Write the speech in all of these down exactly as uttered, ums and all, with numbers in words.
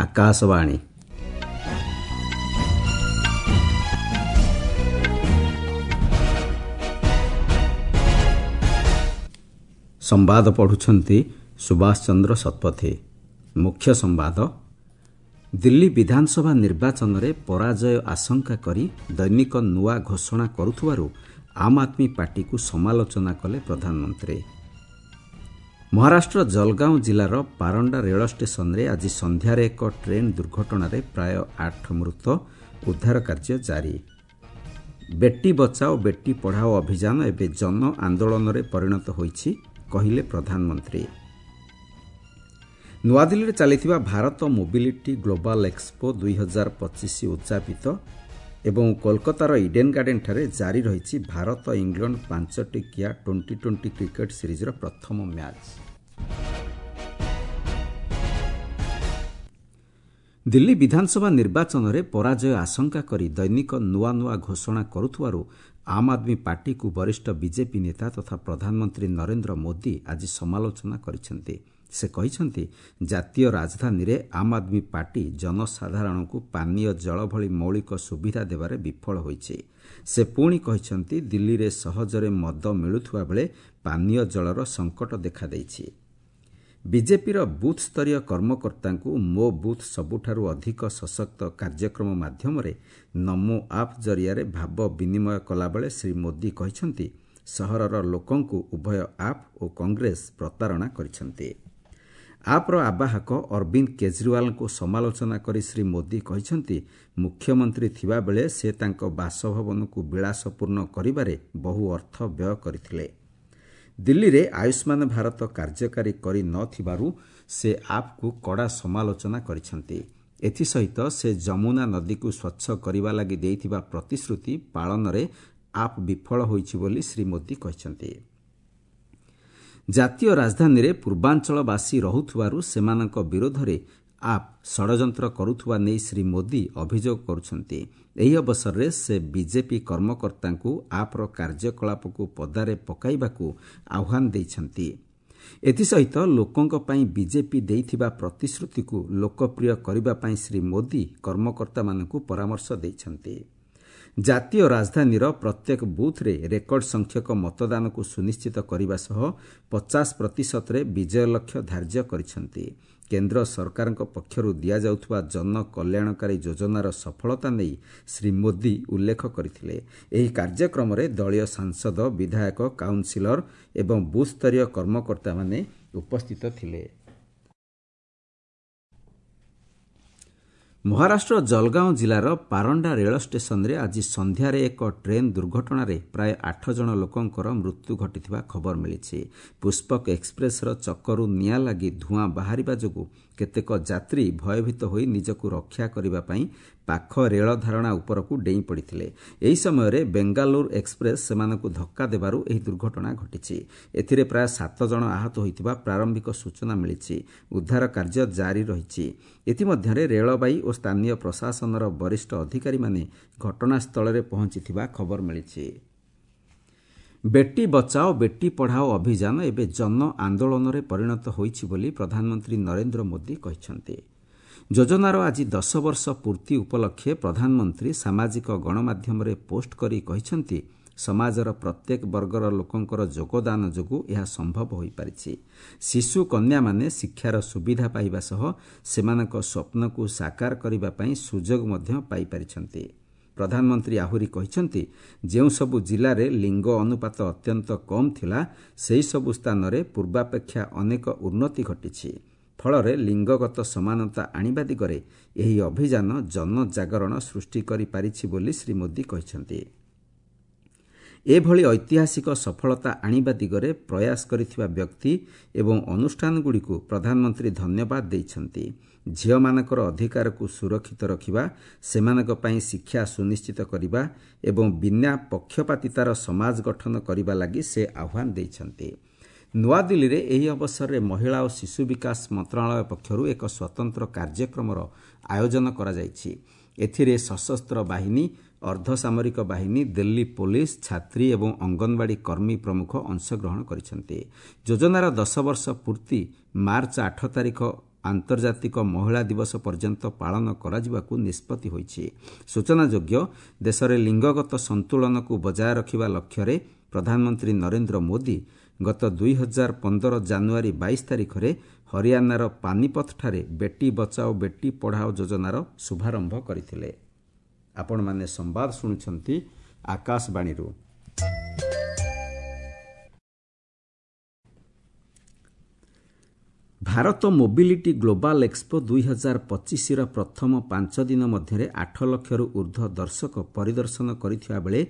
ଆକାଶବାଣୀ। ସମ୍ବାଦ ପଢ଼ୁଛନ୍ତି ସୁଭାଷ ଚନ୍ଦ୍ର ଶତପଥୀ। ମୁଖ୍ୟ ସମ୍ବାଦ। ଦିଲ୍ଲୀ ବିଧାନସଭା ନିର୍ବାଚନରେ ପରାଜୟ ଆଶଙ୍କା କରି ଦୈନିକ ନୂଆ ଘୋଷଣା କରୁଥିବାରୁ ଆମ୍ ଆଦମୀ ପାର୍ଟିକୁ ସମାଲୋଚନା କଲେ ପ୍ରଧାନମନ୍ତ୍ରୀ। ମହାରାଷ୍ଟ୍ର ଜଲଗାଓଁ ଜିଲ୍ଲାର ପାରଣ୍ଡା ରେଳ ଷ୍ଟେସନରେ ଆଜି ସନ୍ଧ୍ୟାରେ ଏକ ଟ୍ରେନ୍ ଦୁର୍ଘଟଣାରେ ପ୍ରାୟ ଆଠ ମୃତ, ଉଦ୍ଧାର କାର୍ଯ୍ୟ ଜାରି। ବେଟି ବଚାଓ ବେଟି ପଢ଼ାଓ ଅଭିଯାନ ଏବେ ଜନ ଆନ୍ଦୋଳନରେ ପରିଣତ ହୋଇଛି, କହିଲେ ପ୍ରଧାନମନ୍ତ୍ରୀ। ନୂଆଦିଲ୍ଲୀରେ ଚାଲିଥିବା ଭାରତ ମୋବିଲିଟି ଗ୍ଲୋବାଲ୍ ଏକ୍ସପୋ ଦୁଇ ହଜାର ପଚିଶ ଉଦ୍ଯାପିତ ଏବଂ କୋଲକାତାର ଇଡେନ୍ ଗାର୍ଡେନ୍ଠାରେ ଜାରି ରହିଛି ଭାରତ ଇଂଲଣ୍ଡ ପାଞ୍ଚଟିକିଆ ଟ୍ୱେଣ୍ଟି ଟ୍ୱେଣ୍ଟି କ୍ରିକେଟ୍ ସିରିଜ୍ର ପ୍ରଥମ ମ୍ୟାଚ୍। ଦିଲ୍ଲୀ ବିଧାନସଭା ନିର୍ବାଚନରେ ପରାଜୟ ଆଶଙ୍କା କରି ଦୈନିକ ନୂଆ ନୂଆ ଘୋଷଣା କରୁଥିବାରୁ ଆମ୍ ଆଦମୀ ପାର୍ଟିକୁ ବରିଷ୍ଠ ବିଜେପି ନେତା ତଥା ପ୍ରଧାନମନ୍ତ୍ରୀ ନରେନ୍ଦ୍ର ମୋଦି ଆଜି ସମାଲୋଚନା କରିଛନ୍ତି। ସେ କହିଛନ୍ତି, ଜାତୀୟ ରାଜଧାନୀରେ ଆମ୍ ଆଦମୀ ପାର୍ଟି ଜନସାଧାରଣଙ୍କୁ ପାନୀୟ ଜଳ ଭଳି ମୌଳିକ ସୁବିଧା ଦେବାରେ ବିଫଳ ହୋଇଛି। ସେ ପୁଣି କହିଛନ୍ତି, ଦିଲ୍ଲୀରେ ସହଜରେ ମଦ ମିଳୁଥିବା ବେଳେ ପାନୀୟ ଜଳର ସଙ୍କଟ ଦେଖାଦେଇଛି। ବିଜେପିର ବୁଥ୍ ସ୍ତରୀୟ କର୍ମକର୍ତ୍ତାଙ୍କୁ ମୋ ବୁଥ୍ ସବୁଠାରୁ ଅଧିକ ସଶକ୍ତ କାର୍ଯ୍ୟକ୍ରମ ମାଧ୍ୟମରେ ନମୋ ଆପ୍ ଜରିଆରେ ଭାବ ବିନିମୟ କଲାବେଳେ ଶ୍ରୀ ମୋଦି କହିଛନ୍ତି, ସହରର ଲୋକଙ୍କୁ ଉଭୟ ଆପ୍ ଓ କଂଗ୍ରେସ ପ୍ରତାରଣା କରିଛନ୍ତି। ଆପ୍ର ଆବାହକ ଅରବିନ୍ଦ କେଜରିୱାଲଙ୍କୁ ସମାଲୋଚନା କରି ଶ୍ରୀ ମୋଦି କହିଛନ୍ତି, ମୁଖ୍ୟମନ୍ତ୍ରୀ ଥିବାବେଳେ ସେ ତାଙ୍କ ବାସଭବନକୁ ବିଳାସପୂର୍ଣ୍ଣ କରିବାରେ ବହୁ ଅର୍ଥ ବ୍ୟୟ କରିଥିଲେ। ଦିଲ୍ଲୀରେ ଆୟୁଷ୍ମାନ ଭାରତ କାର୍ଯ୍ୟକାରୀ କରି ନ ଥିବାରୁ ସେ ଆପ୍କୁ କଡ଼ା ସମାଲୋଚନା କରିଛନ୍ତି। ଏଥିସହିତ ସେ ଯମୁନା ନଦୀକୁ ସ୍ୱଚ୍ଛ କରିବା ଲାଗି ଦେଇଥିବା ପ୍ରତିଶ୍ରୁତି ପାଳନରେ ଆପ୍ ବିଫଳ ହୋଇଛି ବୋଲି ଶ୍ରୀ ମୋଦି କହିଛନ୍ତି। ଜାତୀୟ ରାଜଧାନୀରେ ପୂର୍ବାଞ୍ଚଳବାସୀ ରହୁଥିବାରୁ ସେମାନଙ୍କ ବିରୋଧରେ ଆପ୍ ଷଡ଼ଯନ୍ତ୍ର କରୁଥିବା ନେଇ ଶ୍ରୀ ମୋଦି ଅଭିଯୋଗ କରୁଛନ୍ତି। ଏହି ଅବସରରେ ସେ ବିଜେପି କର୍ମକର୍ତ୍ତାଙ୍କୁ ଆପ୍ର କାର୍ଯ୍ୟକଳାପକୁ ପଦାରେ ପକାଇବାକୁ ଆହ୍ୱାନ ଦେଇଛନ୍ତି। ଏଥିସହିତ ଲୋକଙ୍କ ପାଇଁ ବିଜେପି ଦେଇଥିବା ପ୍ରତିଶ୍ରୁତିକୁ ଲୋକପ୍ରିୟ କରିବା ପାଇଁ ଶ୍ରୀ ମୋଦି କର୍ମକର୍ତ୍ତାମାନଙ୍କୁ ପରାମର୍ଶ ଦେଇଛନ୍ତି। ଜାତୀୟ ରାଜଧାନୀର ପ୍ରତ୍ୟେକ ବୁଥ୍ରେ ରେକର୍ଡ ସଂଖ୍ୟକ ମତଦାନକୁ ସୁନିଶ୍ଚିତ କରିବା ସହ ପଚାଶ ପ୍ରତିଶତରେ ବିଜୟ ଲକ୍ଷ୍ୟ ଧାର୍ଯ୍ୟ କରିଛନ୍ତି। କେନ୍ଦ୍ର ସରକାରଙ୍କ ପକ୍ଷରୁ ଦିଆଯାଉଥିବା ଜନକଲ୍ୟାଣକାରୀ ଯୋଜନାର ସଫଳତା ନେଇ ଶ୍ରୀ ମୋଦି ଉଲ୍ଲେଖ କରିଥିଲେ। ଏହି କାର୍ଯ୍ୟକ୍ରମରେ ଦଳୀୟ ସାଂସଦ, ବିଧାୟକ, କାଉନ୍ସିଲର ଏବଂ ବୁଥ୍ସ୍ତରୀୟ କର୍ମକର୍ତ୍ତାମାନେ ଉପସ୍ଥିତ ଥିଲେ। ମହାରାଷ୍ଟ୍ର ଜଲଗାଓଁ ଜିଲ୍ଲାର ପାରଣ୍ଡା ରେଳ ଷ୍ଟେସନରେ ଆଜି ସନ୍ଧ୍ୟାରେ ଏକ ଟ୍ରେନ୍ ଦୁର୍ଘଟଣାରେ ପ୍ରାୟ ଆଠ ଜଣ ଲୋକଙ୍କର ମୃତ୍ୟୁ ଘଟିଥିବା ଖବର ମିଳିଛି। ପୁଷ୍ପକ ଏକ୍ସପ୍ରେସ୍ର ଚକରୁ ନିଆଁ ଲାଗି ଧୂଆଁ ବାହାରିବା ଯୋଗୁଁ କେତେକ ଯାତ୍ରୀ ଭୟଭୀତ ହୋଇ ନିଜକୁ ରକ୍ଷା କରିବା ପାଇଁ ପାଖ ରେଳ ଧାରଣା ଉପରକୁ ଡେଇଁ ପଡ଼ିଥିଲେ। ଏହି ସମୟରେ ବେଙ୍ଗାଲୁରୁ ଏକ୍ସପ୍ରେସ୍ ସେମାନଙ୍କୁ ଧକ୍କା ଦେବାରୁ ଏହି ଦୁର୍ଘଟଣା ଘଟିଛି। ଏଥିରେ ପ୍ରାୟ ସାତ ଜଣ ଆହତ ହୋଇଥିବା ପ୍ରାରମ୍ଭିକ ସୂଚନା ମିଳିଛି। ଉଦ୍ଧାର କାର୍ଯ୍ୟ ଜାରି ରହିଛି। ଇତିମଧ୍ୟରେ ରେଳବାଇ ଓ ସ୍ଥାନୀୟ ପ୍ରଶାସନର ବରିଷ୍ଠ ଅଧିକାରୀମାନେ ଘଟଣାସ୍ଥଳରେ ପହଞ୍ଚିଥିବା ଖବର ମିଳିଛି। ବେଟି ବଚାଓ ବେଟି ପଢ଼ାଓ ଅଭିଯାନ ଏବେ ଜନ ଆନ୍ଦୋଳନରେ ପରିଣତ ହୋଇଛି ବୋଲି ପ୍ରଧାନମନ୍ତ୍ରୀ ନରେନ୍ଦ୍ର ମୋଦି କହିଛନ୍ତି। ଯୋଜନାର ଆଜି ଦଶ ବର୍ଷ ପୂର୍ତ୍ତି ଉପଲକ୍ଷେ ପ୍ରଧାନମନ୍ତ୍ରୀ ସାମାଜିକ ଗଣମାଧ୍ୟମରେ ପୋଷ୍ଟ କରି କହିଛନ୍ତି, ସମାଜର ପ୍ରତ୍ୟେକ ବର୍ଗର ଲୋକଙ୍କର ଯୋଗଦାନ ଯୋଗୁଁ ଏହା ସମ୍ଭବ ହୋଇପାରିଛି। ଶିଶୁ କନ୍ୟାମାନେ ଶିକ୍ଷାର ସୁବିଧା ପାଇବା ସହ ସେମାନଙ୍କ ସ୍ୱପ୍ନକୁ ସାକାର କରିବା ପାଇଁ ସୁଯୋଗ ମଧ୍ୟ ପାଇପାରିଛନ୍ତି। ପ୍ରଧାନମନ୍ତ୍ରୀ ଆହୁରି କହିଛନ୍ତି, ଯେଉଁସବୁ ଜିଲ୍ଲାରେ ଲିଙ୍ଗ ଅନୁପାତ ଅତ୍ୟନ୍ତ କମ୍ ଥିଲା, ସେହିସବୁ ସ୍ଥାନରେ ପୂର୍ବାପେକ୍ଷା ଅନେକ ଉନ୍ନତି ଘଟିଛି। ଫଳରେ ଲିଙ୍ଗଗତ ସମାନତା ଆଣିବା ଦିଗରେ ଏହି ଅଭିଯାନ ଜନଜାଗରଣ ସୃଷ୍ଟି କରିପାରିଛି ବୋଲି ଶ୍ରୀ ମୋଦି କହିଛନ୍ତି। ଏଭଳି ଐତିହାସିକ ସଫଳତା ଆଣିବା ଦିଗରେ ପ୍ରୟାସ କରିଥିବା ବ୍ୟକ୍ତି ଏବଂ ଅନୁଷ୍ଠାନଗୁଡ଼ିକୁ ପ୍ରଧାନମନ୍ତ୍ରୀ ଧନ୍ୟବାଦ ଦେଇଛନ୍ତି। ଝିଅମାନଙ୍କର ଅଧିକାରକୁ ସୁରକ୍ଷିତ ରଖିବା, ସେମାନଙ୍କ ପାଇଁ ଶିକ୍ଷା ସୁନିଶ୍ଚିତ କରିବା ଏବଂ ବିନା ପକ୍ଷପାତିତାର ସମାଜ ଗଠନ କରିବା ଲାଗି ସେ ଆହ୍ୱାନ ଦେଇଛନ୍ତି। ନୂଆଦିଲ୍ଲୀରେ ଏହି ଅବସରରେ ମହିଳା ଓ ଶିଶୁ ବିକାଶ ମନ୍ତ୍ରଣାଳୟ ପକ୍ଷରୁ ଏକ ସ୍ୱତନ୍ତ୍ର କାର୍ଯ୍ୟକ୍ରମର ଆୟୋଜନ କରାଯାଇଛି। ଏଥିରେ ସଶସ୍ତ୍ର ବାହିନୀ, ଅର୍ଦ୍ଧସାମରିକ ବାହିନୀ, ଦିଲ୍ଲୀ ପୋଲିସ, ଛାତ୍ରୀ ଏବଂ ଅଙ୍ଗନବାଡ଼ି କର୍ମୀ ପ୍ରମୁଖ ଅଂଶଗ୍ରହଣ କରିଛନ୍ତି। ଯୋଜନାର ଦଶ ବର୍ଷ ପୂର୍ତ୍ତି ମାର୍ଚ୍ଚ ଆଠ ତାରିଖ ଆନ୍ତର୍ଜାତିକ ମହିଳା ଦିବସ ପର୍ଯ୍ୟନ୍ତ ପାଳନ କରାଯିବାକୁ ନିଷ୍ପତ୍ତି ହୋଇଛି। ସୂଚନାଯୋଗ୍ୟ, ଦେଶରେ ଲିଙ୍ଗଗତ ସନ୍ତୁଳନକୁ ବଜାୟ ରଖିବା ଲକ୍ଷ୍ୟରେ ପ୍ରଧାନମନ୍ତ୍ରୀ ନରେନ୍ଦ୍ର ମୋଦି ଗତ ଦୁଇ ହଜାର ପନ୍ଦର ଜାନୁଆରୀ ବାଇଶ ତାରିଖରେ ହରିୟାଣାର ପାନିପଥଠାରେ ବେଟି ବଚାଓ ବେଟି ପଢ଼ାଓ ଯୋଜନାର ଶୁଭାରମ୍ଭ କରିଥିଲେ। ଆପଣମାନେ ସମ୍ବାଦ ଶୁଣୁଛନ୍ତି ଆକାଶବାଣୀରୁ। ଭାରତ ମୋବିଲିଟି ଗ୍ଲୋବାଲ୍ ଏକ୍ସପୋ ଦୁଇ ହଜାର ପଚିଶର ପ୍ରଥମ ପାଞ୍ଚ ଦିନ ମଧ୍ୟରେ ଆଠ ଲକ୍ଷରୁ ଊର୍ଦ୍ଧ୍ୱ ଦର୍ଶକ ପରିଦର୍ଶନ କରିଥିବା ବେଳେ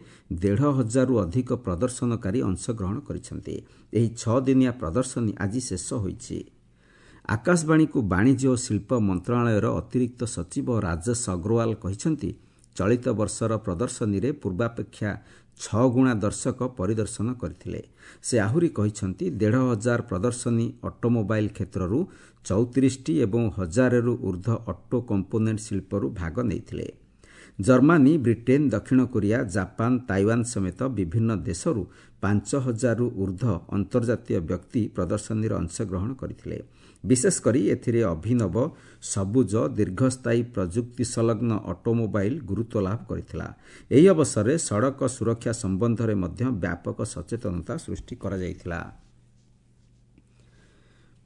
ଦେଢ଼ ହଜାରରୁ ଅଧିକ ପ୍ରଦର୍ଶନକାରୀ ଅଂଶଗ୍ରହଣ କରିଛନ୍ତି। ଏହି ଛଅ ଦିନିଆ ପ୍ରଦର୍ଶନୀ ଆଜି ଶେଷ ହୋଇଛି। ଆକାଶବାଣୀକୁ ବାଣିଜ୍ୟ ଓ ଶିଳ୍ପ ମନ୍ତ୍ରଣାଳୟର ଅତିରିକ୍ତ ସଚିବ ରାଜେଶ ଅଗ୍ରୱାଲ କହିଛନ୍ତି, ଚଳିତ ବର୍ଷର ପ୍ରଦର୍ଶନୀରେ ପୂର୍ବାପେକ୍ଷା ଛଅ ଗୁଣା ଦର୍ଶକ ପରିଦର୍ଶନ କରିଥିଲେ। ସେ ଆହୁରି କହିଛନ୍ତି, ଦେଢ଼ ହଜାର ପ୍ରଦର୍ଶନୀ ଅଟୋମୋବାଇଲ୍ କ୍ଷେତ୍ରରୁ ଚଉତିରିଶଟି ଏବଂ ହଜାରେରୁ ଊର୍ଦ୍ଧ୍ୱ ଅଟୋ କମ୍ପୋନେଣ୍ଟ ଶିଳ୍ପରୁ ଭାଗ ନେଇଥିଲେ। ଜର୍ମାନୀ, ବ୍ରିଟେନ୍, ଦକ୍ଷିଣ କୋରିଆ, ଜାପାନ, ତାଇୱାନ ସମେତ ବିଭିନ୍ନ ଦେଶରୁ ପାଞ୍ଚ ହଜାରରୁ ଊର୍ଦ୍ଧ୍ୱ ଅନ୍ତର୍ଜାତୀୟ ବ୍ୟକ୍ତି ପ୍ରଦର୍ଶନୀରେ ଅଂଶଗ୍ରହଣ କରିଥିଲେ। ବିଶେଷକରି ଏଥିରେ ଅଭିନବ, ସବୁଜ, ଦୀର୍ଘସ୍ଥାୟୀ ପ୍ରଯୁକ୍ତି ସଂଲଗ୍ନ ଅଟୋମୋବାଇଲ୍ ଗୁରୁତ୍ୱ ଲାଭ କରିଥିଲା। ଏହି ଅବସରରେ ସଡ଼କ ସୁରକ୍ଷା ସମ୍ବନ୍ଧରେ ମଧ୍ୟ ବ୍ୟାପକ ସଚେତନତା ସୃଷ୍ଟି କରାଯାଇଥିଲା।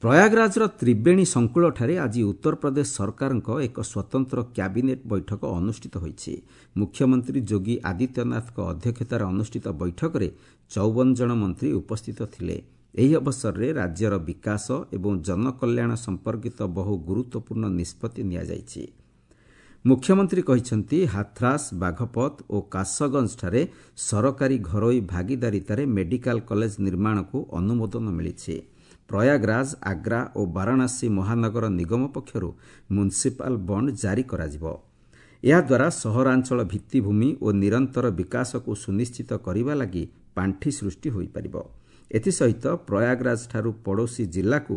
ପ୍ରୟାଗରାଜର ତ୍ରିବେଣୀ ସଂକୁଳଠାରେ ଆଜି ଉତ୍ତରପ୍ରଦେଶ ସରକାରଙ୍କ ଏକ ସ୍ୱତନ୍ତ୍ର କ୍ୟାବିନେଟ୍ ବୈଠକ ଅନୁଷ୍ଠିତ ହୋଇଛି। ମୁଖ୍ୟମନ୍ତ୍ରୀ ଯୋଗୀ ଆଦିତ୍ୟନାଥଙ୍କ ଅଧ୍ୟକ୍ଷତାରେ ଅନୁଷ୍ଠିତ ବୈଠକରେ ଚଉବନ ଜଣ ମନ୍ତ୍ରୀ ଉପସ୍ଥିତ ଥିଲେ। ଏହି ଅବସରରେ ରାଜ୍ୟର ବିକାଶ ଏବଂ ଜନକଲ୍ୟାଣ ସମ୍ପର୍କିତ ବହୁ ଗୁରୁତ୍ୱପୂର୍ଣ୍ଣ ନିଷ୍ପତ୍ତି ନିଆଯାଇଛି। ମୁଖ୍ୟମନ୍ତ୍ରୀ କହିଛନ୍ତି, ହାଥ୍ରାସ, ବାଘପତ ଓ କାସଗଞ୍ଜଠାରେ ସରକାରୀ ଘରୋଇ ଭାଗିଦାରିତାରେ ମେଡିକାଲ କଲେଜ ନିର୍ମାଣକୁ ଅନୁମୋଦନ ମିଳିଛି। ପ୍ରୟାଗରାଜ, ଆଗ୍ରା ଓ ବାରାଣସୀ ମହାନଗର ନିଗମ ପକ୍ଷରୁ ମ୍ୟୁନିସିପାଲ ବଣ୍ଡ ଜାରି କରାଯିବ। ଏହାଦ୍ୱାରା ସହରାଞ୍ଚଳ ଭିତ୍ତିଭୂମି ଓ ନିରନ୍ତର ବିକାଶକୁ ସୁନିଶ୍ଚିତ କରିବା ଲାଗି ପାଣ୍ଠି ସୃଷ୍ଟି ହୋଇପାରିବ। ଏଥିସହିତ ପ୍ରୟାଗରାଜଠାରୁ ପଡ଼ୋଶୀ ଜିଲ୍ଲାକୁ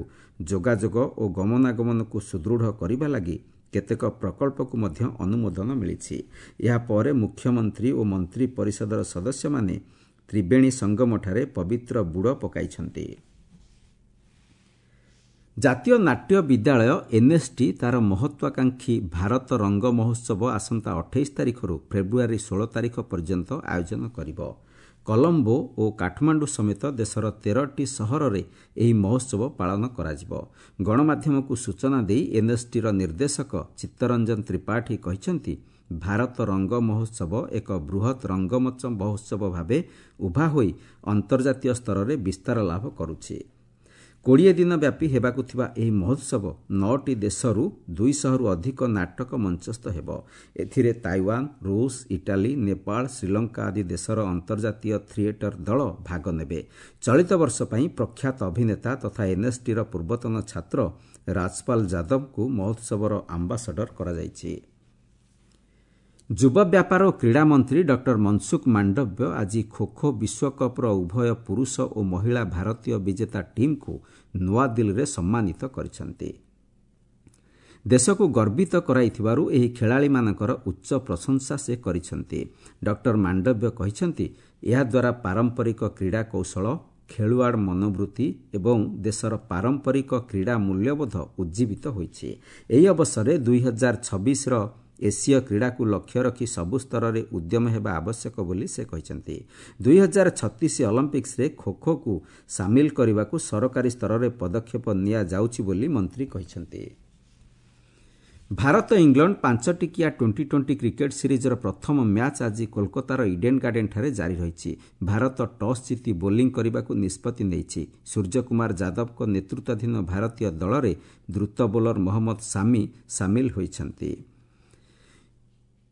ଯୋଗାଯୋଗ ଓ ଗମନାଗମନକୁ ସୁଦୃଢ଼ କରିବା ଲାଗି କେତେକ ପ୍ରକଳ୍ପକୁ ମଧ୍ୟ ଅନୁମୋଦନ ମିଳିଛି। ଏହାପରେ ମୁଖ୍ୟମନ୍ତ୍ରୀ ଓ ମନ୍ତ୍ରୀ ପରିଷଦର ସଦସ୍ୟମାନେ ତ୍ରିବେଣୀ ସଙ୍ଗମଠାରେ ପବିତ୍ର ବୁଡ଼ ପକାଇଛନ୍ତି। ଜାତୀୟ ନାଟ୍ୟ ବିଦ୍ୟାଳୟ ଏନ୍ଏସ୍ଟି ତା'ର ମହତ୍ୱାକାଂକ୍ଷୀ ଭାରତ ରଙ୍ଗ ମହୋତ୍ସବ ଆସନ୍ତା ଅଠେଇଶ ତାରିଖରୁ ଫେବୃଆରୀ ଷୋହଳ ତାରିଖ ପର୍ଯ୍ୟନ୍ତ ଆୟୋଜନ କରିବ। କଲମ୍ବୋ ଓ କାଠମାଣ୍ଡୁ ସମେତ ଦେଶର ତେରଟି ସହରରେ ଏହି ମହୋତ୍ସବ ପାଳନ କରାଯିବ। ଗଣମାଧ୍ୟମକୁ ସୂଚନା ଦେଇ ଏନ୍ଏସ୍ଟିର ନିର୍ଦ୍ଦେଶକ ଚିତ୍ତରଞ୍ଜନ ତ୍ରିପାଠୀ କହିଛନ୍ତି, ଭାରତ ରଙ୍ଗ ମହୋତ୍ସବ ଏକ ବୃହତ୍ ରଙ୍ଗମଞ୍ଚ ମହୋତ୍ସବ ଭାବେ ଉଭା ହୋଇ ଅନ୍ତର୍ଜାତୀୟ ସ୍ତରରେ ବିସ୍ତାର ଲାଭ କରୁଛି। କୋଡ଼ିଏ ଦିନ ବ୍ୟାପୀ ହେବାକୁ ଥିବା ଏହି ମହୋତ୍ସବ ନଅଟି ଦେଶରୁ ଦୁଇଶହରୁ ଅଧିକ ନାଟକ ମଞ୍ଚସ୍ଥ ହେବ। ଏଥିରେ ତାଇୱାନ, ରୁଷ, ଇଟାଲୀ, ନେପାଳ, ଶ୍ରୀଲଙ୍କା ଆଦି ଦେଶର ଅନ୍ତର୍ଜାତୀୟ ଥିଏଟର ଦଳ ଭାଗ ନେବେ। ଚଳିତ ବର୍ଷ ପାଇଁ ପ୍ରଖ୍ୟାତ ଅଭିନେତା ତଥା ଏନ୍ଏସ୍ଟିର ପୂର୍ବତନ ଛାତ୍ର ରାଜପାଲ ଯାଦବଙ୍କୁ ମହୋତ୍ସବର ଆମ୍ବାସଡର କରାଯାଇଛି। ଯୁବ ବ୍ୟାପାର ଓ କ୍ରୀଡ଼ା ମନ୍ତ୍ରୀ ଡକ୍ଟର ମନସୁଖ ମାଣ୍ଡବ୍ୟ ଆଜି ଖୋଖୋ ବିଶ୍ୱକପ୍ର ଉଭୟ ପୁରୁଷ ଓ ମହିଳା ଭାରତୀୟ ବିଜେତା ଟିମ୍କୁ ନୂଆଦିଲ୍ଲୀରେ ସମ୍ମାନିତ କରିଛନ୍ତି। ଦେଶକୁ ଗର୍ବିତ କରାଇଥିବାରୁ ଏହି ଖେଳାଳିମାନଙ୍କର ଉଚ୍ଚ ପ୍ରଶଂସା ସେ କରିଛନ୍ତି। ଡକ୍ଟର ମାଣ୍ଡବ୍ୟ କହିଛନ୍ତି, ଏହାଦ୍ୱାରା ପାରମ୍ପରିକ କ୍ରୀଡ଼ା କୌଶଳ, ଖେଳୁଆଡ଼ ମନୋବୃତ୍ତି ଏବଂ ଦେଶର ପାରମ୍ପରିକ କ୍ରୀଡ଼ା ମୂଲ୍ୟବୋଧ ଉଜ୍ଜୀବିତ ହୋଇଛି। ଏହି ଅବସରରେ ଦୁଇ ହଜାର ଛବିଶର ଏସୀୟ କ୍ରୀଡ଼ାକୁ ଲକ୍ଷ୍ୟ ରଖି ସବୁ ସ୍ତରରେ ଉଦ୍ୟମ ହେବା ଆବଶ୍ୟକ ବୋଲି ସେ କହିଛନ୍ତି। ଦୁଇ ହଜାର ଛତିଶ ଅଲିମ୍ପିକ୍ସରେ ଖୋଖୋକୁ ସାମିଲ କରିବାକୁ ସରକାରୀ ସ୍ତରରେ ପଦକ୍ଷେପ ନିଆଯାଉଛି ବୋଲି ମନ୍ତ୍ରୀ କହିଛନ୍ତି। ଭାରତ ଇଂଲଣ୍ଡ ପାଞ୍ଚ ଟିକିଆ ଟ୍ୱେଣ୍ଟି ଟ୍ୱେଣ୍ଟି କ୍ରିକେଟ୍ ସିରିଜ୍ର ପ୍ରଥମ ମ୍ୟାଚ୍ ଆଜି କୋଲକାତାର ଇଡେନ୍ ଗାର୍ଡେନ୍ଠାରେ ଜାରି ରହିଛି। ଭାରତ ଟସ୍ ଜିତି ବୋଲିଂ କରିବାକୁ ନିଷ୍ପତ୍ତି ନେଇଛି। ସୂର୍ଯ୍ୟକୁମାର ଯାଦବଙ୍କ ନେତୃତ୍ୱାଧୀନ ଭାରତୀୟ ଦଳରେ ଦ୍ରୁତ ବୋଲର ମହମ୍ମଦ ସାମି ସାମିଲ ହୋଇଛନ୍ତି।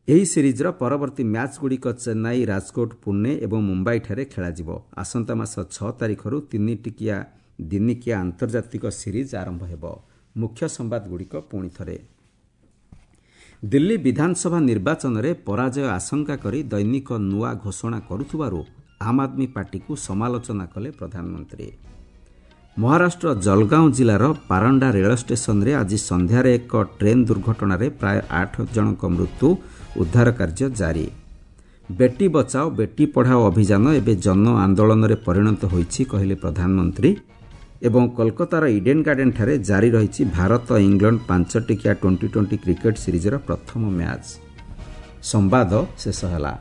ଏହି ସିରିଜ୍ର ପରବର୍ତ୍ତୀ ମ୍ୟାଚ୍ଗୁଡ଼ିକ ଚେନ୍ନାଇ, ରାଜକୋଟ, ପୁନେ ଏବଂ ମୁମ୍ବାଇଠାରେ ଖେଳାଯିବ। ଆସନ୍ତା ମାସ ଛଅ ତାରିଖରୁ ତିନି ଟିକିଆ ଦିନିକିଆ ଆନ୍ତର୍ଜାତିକ ସିରିଜ୍ ଆରମ୍ଭ ହେବ। ମୁଖ୍ୟ ସମ୍ବାଦଗୁଡ଼ିକ ପୁଣି ଥରେ। ଦିଲ୍ଲୀ ବିଧାନସଭା ନିର୍ବାଚନରେ ପରାଜୟ ଆଶଙ୍କା କରି ଦୈନିକ ନୂଆ ଘୋଷଣା କରୁଥିବାରୁ ଆମ୍ ଆଦମୀ ପାର୍ଟିକୁ ସମାଲୋଚନା କଲେ ପ୍ରଧାନମନ୍ତ୍ରୀ। ମହାରାଷ୍ଟ୍ର ଜଲଗାଁଓ ଜିଲ୍ଲାର ପାରଣ୍ଡା ରେଳ ଷ୍ଟେସନରେ ଆଜି ସନ୍ଧ୍ୟାରେ ଏକ ଟ୍ରେନ୍ ଦୁର୍ଘଟଣାରେ ପ୍ରାୟ ଆଠ ଜଣଙ୍କ ମୃତ୍ୟୁ, ଉଦ୍ଧାର କାର୍ଯ୍ୟ ଜାରି। ବେଟି ବଚାଓ ବେଟି ପଢ଼ାଓ ଅଭିଯାନ ଏବେ ଜନ ଆନ୍ଦୋଳନରେ ପରିଣତ ହୋଇଛି, କହିଲେ ପ୍ରଧାନମନ୍ତ୍ରୀ। ଏବଂ କୋଲକାତାର ଇଡେନ୍ ଗାର୍ଡେନ୍ଠାରେ ଜାରି ରହିଛି ଭାରତ ଇଂଲଣ୍ଡ ପାଞ୍ଚ ଟିକିଆ ଟ୍ୱେଣ୍ଟି ଟ୍ୱେଣ୍ଟି କ୍ରିକେଟ୍ ସିରିଜ୍ର ପ୍ରଥମ ମ୍ୟାଚ୍। ସମ୍ବାଦ ଶେଷ ହେଲା।